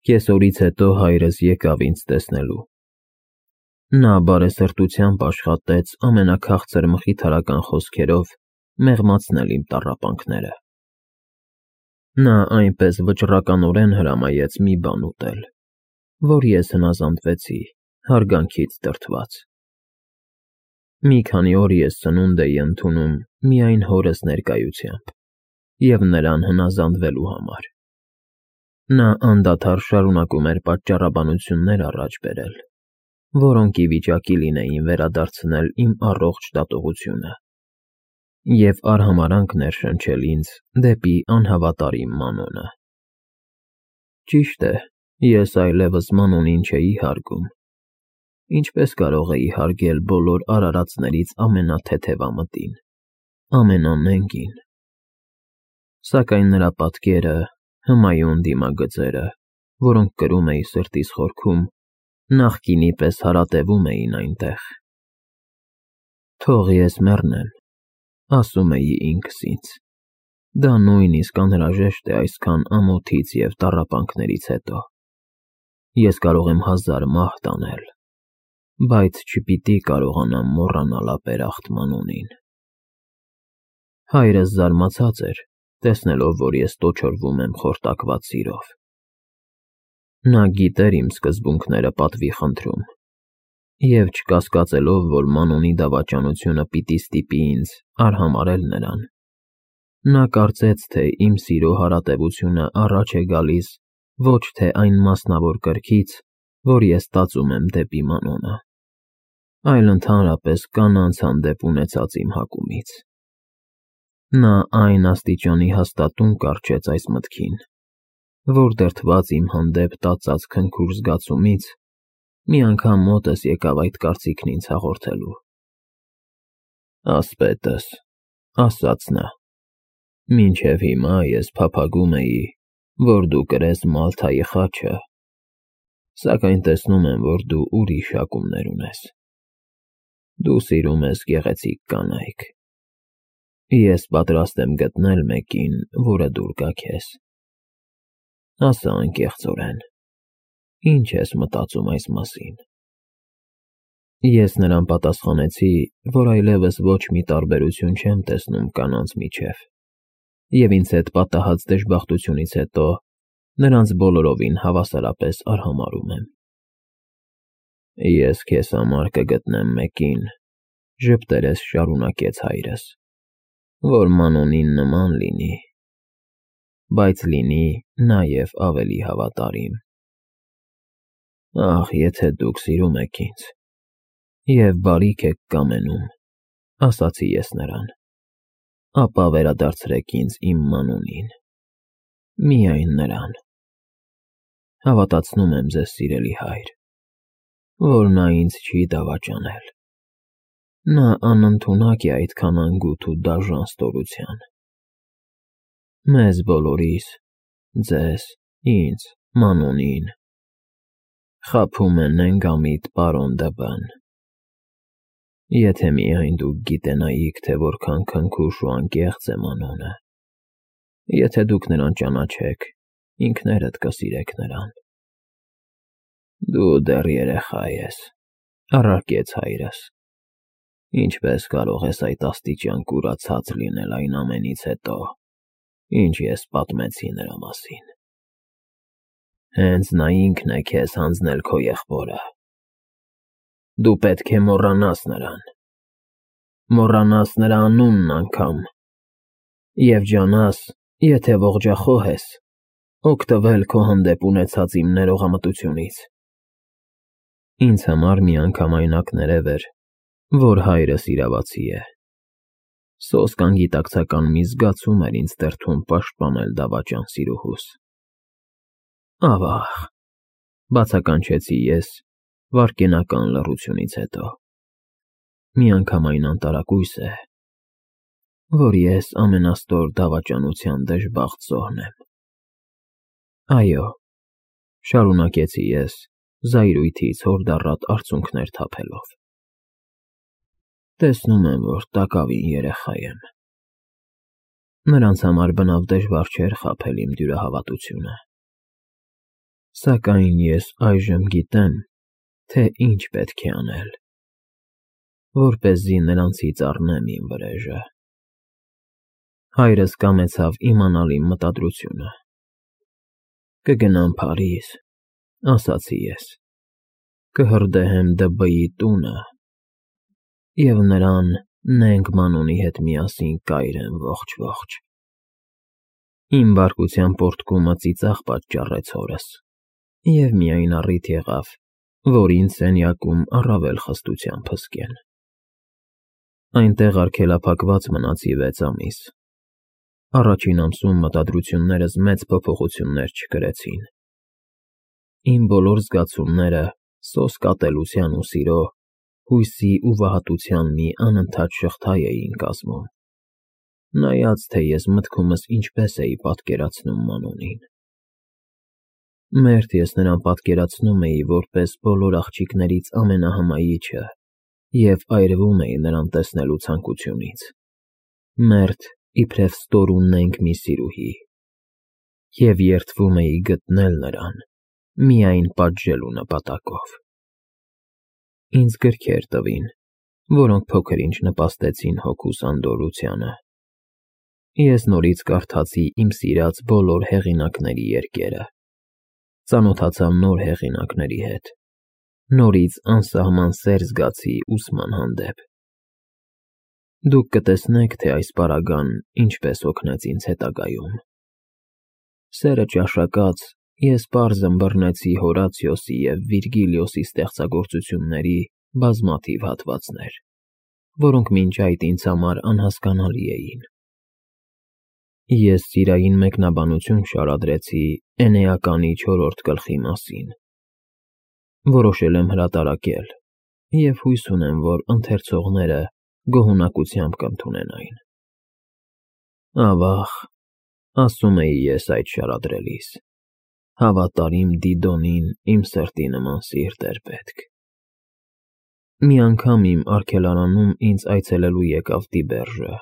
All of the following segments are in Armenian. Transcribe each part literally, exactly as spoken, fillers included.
Կեսօրից հետո հայրս եկավ ինձ տեսնելու։ Նա բարեսրտությամբ աշխատեց ամենաքաղցր մխիթարական խոսքերով մեղմացնել իմ տառապանքները։ Նա այնպես վճռականորեն հրամայեց մի բան ուտել, որ ես հնազանդվեցի, հարգանքից դրդված։ Մի քանի օր ես սնունդ էի ընդունում միայն հորս ներկայությամբ և նրան հնազանդվելու համար։ Նա անդադար շարունակում էր պատճառաբանություններ առաջ բերել, որոնք ի վիճակի լինեին վերադարձնել իմ առողջ դատողությունը և արհամարհանք ներշնչել ինձ դեպի անհավատարիմ Մանոնը։ Ճիշտ է, ես այլևս Մանոնին չէի հարգում, ինչպես կարող էի հարգել բոլոր արարածներից ամենաթեթևամտին, ամենամենգին։ Սակայն նրա պատկերը, հմայուն դիմագծերը, որոնք կրում էի սրտիս խորքում, նախկինի պես հարատևում էին այնտեղ։ «Թող ես մեռնեմ», ասում էի ինքս ինձ, դա նույնիսկ անհրաժեշտ է այսքան ամոթից և տառապանքներից հետո։ Ես կարող եմ հազար մահ տանել, բայց չպիտի կարողանամ մոռանալ ապերախտ Մանոնին։ Հայրս զարմացած էր, տեսնելով, որ ես տոչորվում եմ խորտակված սիրով։ Նա գիտեր իմ սկզբունքները պատվի խնդրում, և չկասկածելով, որ Մանոնի դավաճանությունը պիտի ստիպի ինձ արհամարհել նրան, նա կարծեց, թե իմ սիրո հարատևությունը առաջ է գալիս ոչ թե այն մասնավոր կրքից, որ ես տածում եմ դեպի Մանոնը, այլ ընդհանրապես կանանց հանդեպ ունեցած իմ հակումից։ Նա այն աստիճանի հաստատուն կառչեց այս մտքին, որ դրդված իմ հանդեպ տածած քնքուշ զգացումից մի անգամ մոտս եկավ այդ կարծիքն ինձ հաղորդելու։ «Ասպետս», ասաց նա, «մինչև հիմա ես փափագում էի, որ դու կրես Մալթայի խաչը, սակայն տեսնում եմ, որ դու ուրիշ հակումներ ունես։ Դու սիրում ես գեղեցիկ կանայք։ Ես պատրաստ եմ գտնել մեկին, որը դուր գա քեզ։ Ասա անկեղծորեն, ի՞նչ ես մտածում այս մասին»։ Ես նրան պատասխանեցի, որ այլևս ոչ մի տարբերություն չեմ տեսնում կանանց միջև, և ինձ հետ պատահած դժբախտությունից հետո նրանց բոլորովին հավասարապես արհամարհում եմ։ «Ես քեզ համար կգտնեմ մեկին», ժպտերես շարունակեց հայրս, «որ Մանոնին նման լինի, բայց լինի նաև ավելի հավատարիմ»։ «Ախ, եթե դուք սիրում եք ինձ և բարիք եք կամենում», ասացի ես նրան, «ապա վերադարձրեք ինձ իմ Մանոնին, միայն նրան։ Հավատացնում եմ ձեզ, սիրելի հայր, որ նա ինձ չի դավաճանել։ Նա անընդունակ է այդքան անգութ ու դաժան ստորության։ Մեզ բոլորիս, ձեզ, ինձ, Մանոնին, խաբում է նենգամիտ պարոն Դըբըն։ Եթե միայն դուք գիտենայիք, թե որքան քնքուշ ու անկեղծ է Մանոնը, եթե դուք նրան ճանաչեք, ինքներդ կսիրեք նրան»։ «Դու դեռ երեխա ես», առարկեց հայրս, «ինչպես կարող ես այդ աստիճան կուրացած լինել այն ամենից հետո, ինչ ես պատմեցի նրա մասին։ Հենց նա ինքն է քեզ հանձնել քո եղբորը։ Դու պետք է մոռանաս նրան, մոռանաս նրա անունն անգամ, և ջանաս, եթե ողջախոհ ես, օգտվել քո հանդեպ ունեցած իմ ներողամտությունից»։ Ինձ համար միանգամայնակ ներև էր, որ հայրս իրավացի է։ Սոսկ անգիտակցական մի զգացում էր ինձ դրդում պաշտպանել դավաճան սիրուհուս։ «Ավա՜ղ», բացականչեցի ես վայրկենական լռությունից հետո, «միանգամայն անտարակույս է, որ ես ամենաստոր դավաճանության դժբախտ զոհն եմ»։ «Այո», շարունակեցի ես զայրույթից հորդառատ արցունքներ թափելով, «տեսնում եմ, որ տակավին երեխա եմ։ Նրանց համար բնավ դժվար չէր խաբել իմ դյուրահավատությունը։ Սակայն ես այժմ գիտեմ, թե ինչ պետք է անել, որպեսզի նրանցից առնեմ իմ վրեժը։ Հայրս կամեցավ իմանալ իմ մտադրությունը։ Կգնամ Փարիզ, ասացի ես, կհրդեհեմ Դ.Բ.-ի տունը և նրան Նենք Մանոնի հետ միասին կայրեմ ողջ֊ողջ։ Իմ բարկության պոռթկումը ծիծաղ պատճառեց հորս, և միայն առիթ եղավ, որ ինձ սենյակում առավել խստությամբ հսկեն։ Այնտեղ արգելափակված մնացի վեց ամիս։ Առաջին ամսում մտադրություններս մեծ փոփոխություններ չկրեցին։ Իմ բոլոր զգացումները սոսկ ատելության ու սիրո, հույսի ու վհատության մի անընդհատ շղթա էին կազմում, նայած թե ես մտքումս ինչպես էի պատկերացնում Մանոնին։ Մերթ ես նրան պատկերացնում էի որպես բոլոր աղջիկներից ամենահմայիչը և այրվում էի նրան տեսնելու ցանկությունից, մերթ իբրև ստոր ու նենգ մի սիրուհի, և երդվում էի գտնել նրան միայն պատժելու նպատակով։ Ինձ գրքեր տվին, որոնք փոքր-ինչ նպաստեցին հոգուս անդորրությանը։ Ես նորից կարդացի իմ սիրած բոլոր հեղինակների երկերը, ծանոթացա նոր հեղինակների հետ, նորից անսահման սեր զգացի ուսման հանդեպ։ Դուք կտեսնեք, թե այս պարագան ինչպես օգնեց ինձ հետագայում։ Սերը ճաշակած, ես պարզ ըմբռնեցի Հորացիոսի և Վիրգիլիոսի ստեղծագործությունների բազմաթիվ հատվածներ, որոնք մինչ այդ ինձ համար անհասկանալի էին։ Ես սիրային մեկնաբանություն շարադրեցի Էնեականի չորրորդ գլխի մասին։ Որոշել եմ հրատարակել և հույս ունեմ, որ ընթերցողները գոհունակությամբ կընդունեն այն։ Ավա՜ղ, ասում էի ես այդ շարադրելիս, հավատարիմ Դիդոնին իմ սրտի նման սիրտ էր պետք։ Մի անգամ իմ արգելարանում ինձ այցելելու եկավ Տիբերժը։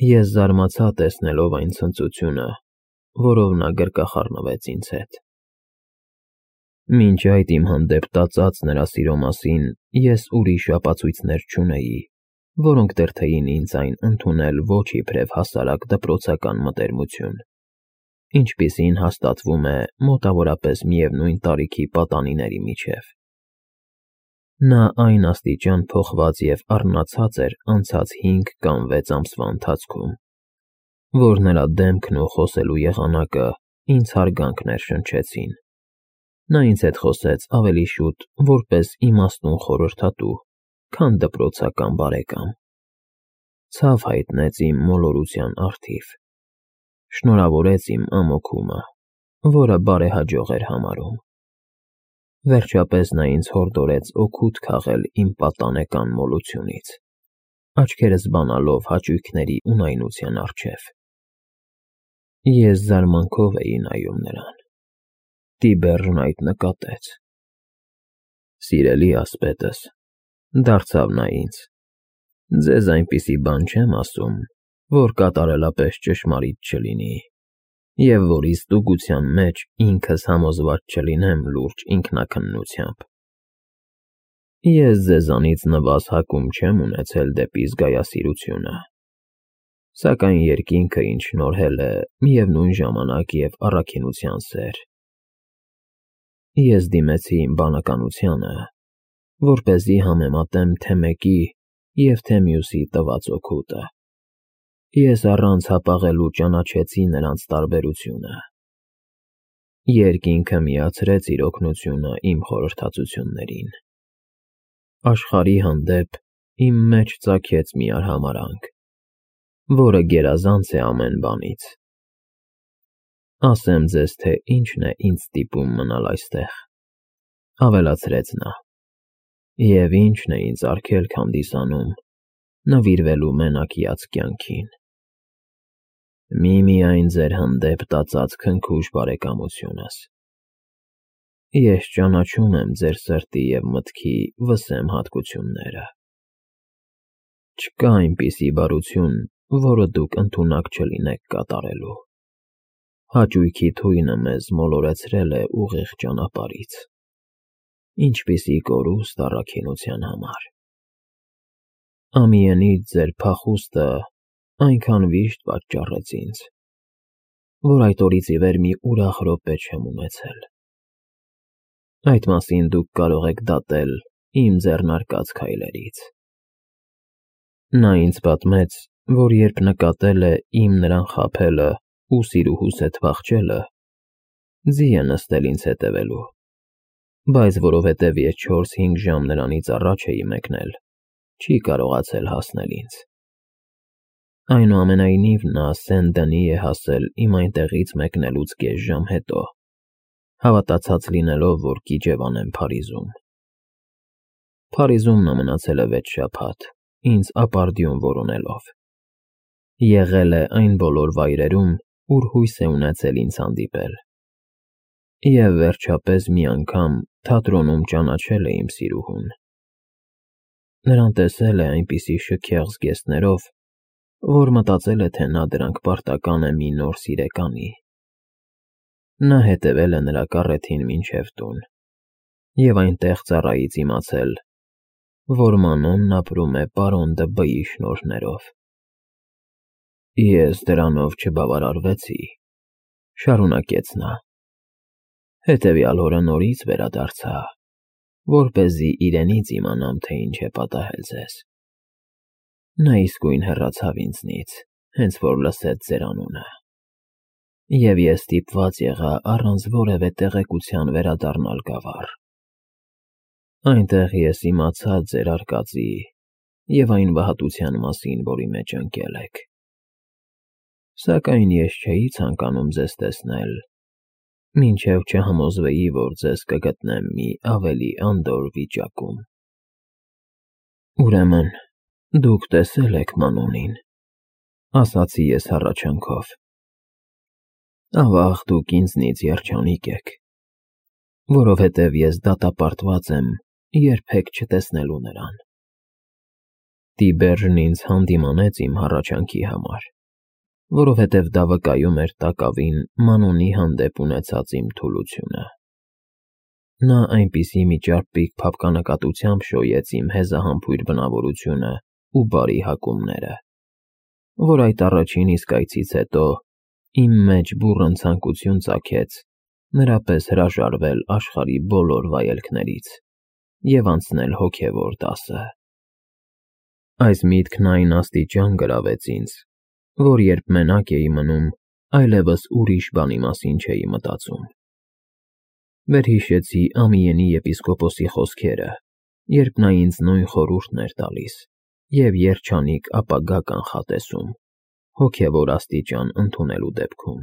Ես զարմացա տեսնելով այն ցնծությունը, որով նա գրկախառնվեց ինձ հետ։ Մինչ այդ իմ հանդեպ տածած նրա սիրո մասին ես ուրիշ ապացույցներ չունեի, որոնք դրդեին ինձ այն ընդունել ոչ իբրև հասարակ դպրոցական մտերմություն, ինչպիսին հաստատվում է մոտավորապես միևնույն տարիքի պատանիների միջև։ Նա այն աստիճան փոխված և առնացած էր անցած հինգ կամ վեց ամսվա ընթացքում, որ նրա դեմքն ու խոսելու եղանակը ինձ հարգանք ներշնչեցին։ Նա ինձ հետ խոսեց ավելի շուտ որպես իմաստուն խորհրդատու, քան դպրոցական բարեկամ։ Ցավ հայտնեց իմ մոլորության առթիվ, շնորհավորեց իմ ամոքումը, որը բարեհաջող էր համարում։ Վերջապես նա ինձ հորդորեց օգուտ քաղել իմ պատանեկան մոլությունից, աչքերս բանալով հաճույքների ունայնության առջև։ Ես զարմանքով էի նայում նրան։ Տիբերժն այդ նկատեց։ Սիրելի ասպետս, դարձավ նա ինձ, ձեզ այնպիսի բան չեմ ասում, որ կատարելապես ճշմարիտ չլինի, և որի ստուգության մեջ ինքս համոզված չլինեմ լուրջ ինքնաքննությամբ։ Ես ձեզանից նվազ հակում չեմ ունեցել դեպի զգայասիրությունը, սակայն երկինքը ինձ շնորհել է միևնույն ժամանակ և առաքինության սեր։ Ես դիմեցի իմ բանականությանը, որպեսզի համեմատեմ թե մեկի և թե մյուսի տված օգուտը։ Ես առանց հապաղելու ճանաչեցի նրանց տարբերությունը։ Երկինքը միացրեց իր օգնությունը իմ խորհրդածություններին։ Աշխարհի հանդեպ իմ մեջ ծագեց մի արհամարհանք, որը գերազանց է ամեն բանից։ Ասեմ ձեզ, թե ինչն է ինձ ստիպում մնալ այստեղ, ավելացրեց նա, և ինչն է ինձ արգելք հանդիսանում նվիրվելու մենակյաց կյանքին։ Միմիայն ձեր հանդեպ տածած քնքուշ բարեկամությունս։ Ես ճանաչում եմ ձեր սրտի և մտքի վսեմ հատկությունները։ Չկա այնպիսի բարություն, որը դուք ընդունակ չլինեք կատարելու։ Հաճույքի թույնը մեզ մոլորեցրել է ուղիղ ճանապարհից, ինչպիսի կորուստ առաքինության համար։ Ամիենից ձեր փախուստը այնքան վիշտ պատճառեց ինձ, որ այդ օրից ի վեր մի ուրախ րոպե չեմ ունեցել։ Այդ մասին դուք կարող եք դատել իմ ձեռնարկած քայլերից։ Նա ինձ պատմեց, որ երբ նկատել է իմ նրան խաբելը ու սիրուհուս հետ փախչելը, ձի է նստել ինձ հետևելու, բայց որովհետև ես չորս֊հինգ ժամ նրանից առաջ էի մեկնել, չի կարողացել հասնել ինձ։ Այնուամենայնիվ նա Սեն֊Դենի է հասել իմ այնտեղից մեկնելուց կես ժամ հետո, հավատացած լինելով, որ կիջևանեմ Փարիզում։ Փարիզում նա մնացել է վեց շաբաթ, ինձ ապարդյուն որոնելով։ Եղել է այն բոլոր վայրերում, ուր հույս է ունեցել ինձ հանդիպել։ Եվ վերջապես մի անգամ թատրոնում ճանաչել է իմ սիրուհուն։ Նրան տեսել է այնպիսի շքեղ զգեստներով, որ մտածել է, թե նա դրանք պարտական է մի նոր սիրեկանի։ Նա հետևել է նրա կառեթին մինչև տուն և այնտեղ ծառայից իմացել, որ Մանոնն ապրում է պարոն Դ'Բ֊ի շնորհներով։ Ես դրանով չբավարարվեցի, շարունակեց նա, հետևյալ օրը նորից վերադարձա, որպեսզի իրենից իմանամ, թե ինչ է պատահել ձեզ։ Նա իսկույն հեռացավ ինձնից, հենց որ լսեց ձեր անունը, և ես ստիպված եղա առանց որևէ տեղեկության վերադառնալ գավառ։ Այնտեղ ես իմացա ձեր արկածի և այն վհատության մասին, որի մեջ ընկել եք։ Սակայն ես չէի ցանկանում ձեզ տեսնել, մինչև չհամոզվեի, որ ձեզ կգտնեմ մի ավելի անդորր վիճակում։ Ուրեմն դուք տեսել եք Մանոնին, ասացի ես հառաչանքով։ Ավաղ, դուք ինձնից երջանիկ եք, որովհետև ես դատապարտված եմ երբեք չտեսնելու նրան։ Տիբերջն ինձ հանդիմանեց իմ հառաչանքի համար, որովհետև դա վկայում էր տակավին Մանոնի հանդեպ ունեցած իմ թուլությունը։ Նա այնպիսի մի ճարպիկ փափկանակատությամբ շոյեց իմ հեզահամբույր բնավորությունն ու բարի հակումները, որ այդ առաջին իսկ այցից հետո իմ մեջ բուռն ցանկություն ծագեց նրա պես հրաժարվել աշխարհի բոլոր վայելքներից և անցնել հոգևոր դասը։ Այս միտքն այն աստիճան գրավեց ինձ, որ երբ մենակ էի մնում, այլևս ուրիշ բանի մասին չէի մտածում։ Վերհիշեցի Ամիենի եպիսկոպոսի խոսքերը, երբ նա ինձ նույն խորհուրդն էր տալիս և երջանիկ ապագա կանխատեսում հոգևոր աստիճան ընդունելու դեպքում։